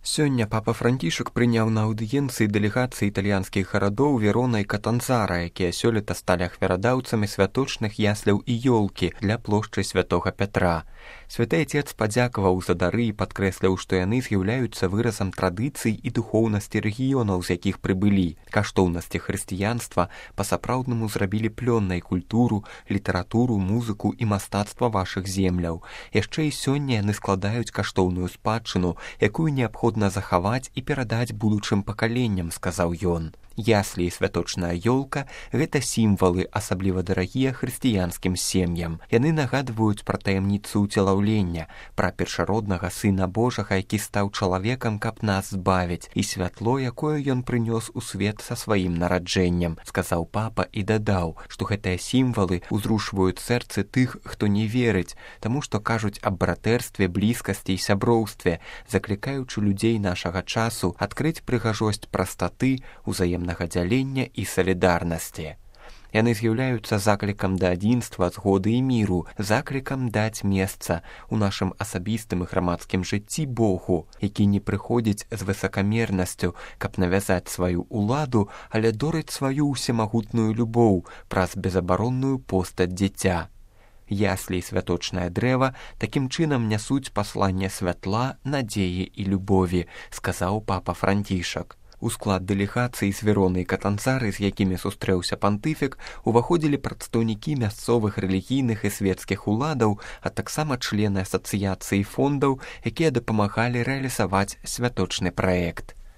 Сёння папа Францішак прыняў на аўдыенцыі дэлегацыі італьянскіх гарадоў Верона і Катанцара, якія сёлета сталі ахвярадаўцамі святочных ясляў і ёлкі для плошчы святога Пятра. Святы Отец падзякаваў за дары і падкрэсліў, што яны з'яўляюцца выразам традыцый і духоўнасці рэгіёнаў, з якіх прыбылі. Каштоўнасці хрысціянства па-сапраўднаму зрабілі плённай культуру, літаратуру, музыку і мастацтва вашых земляў. Яшчэ і сёння яны складаюць каштоўную спадчыну, якую неабходна захаваць і перадаць будучым пакаленням, сказаў ён. Яслі і святочная ёлка – гэта сімвалы, асабліва дарагія хрысціянскім сем'ям. Яны нагадваюць пра таямніцу ўцелаўлення, пра першароднага Сына Божага, які стаў чалавекам, каб нас збавіць, і святло, якое ён прынёс у свет са сваім нараджэннем, сказаў папа і дадаў, што гэтыя сімвалы ўзрушваюць сэрцы тых, хто не верыць, таму што кажуць аб братэрстве, блізкасці і сяброўстве, заклікаючы людзей нашага часу адкрыць прыгажосць прастаты, узаемнага дзялення і салідарнасці. Яны з'яўляюцца заклікам да адзінства, згоды і міру, заклікам даць месца ў нашым асабістым і грамадскім жыцці Богу, які не прыходзіць з высакамернасцю, каб навязаць сваю ўладу, але дорыць сваю ўсемагутную любоў праз безабаронную постаць дзіця. Яслі і святочнае дрэва такім чынам нясуць пасланне святла, надзеі і любові, сказаў папа Францішак. У склад дэлегацыі з Вероны і Катанцары, з якімі сустрэўся пантыфік, уваходзілі прадстаўнікі мясцовых рэлігійных і свецкіх уладаў, а таксама члены асацыяцыі фондаў, якія дапамагалі рэалізаваць святочны праект.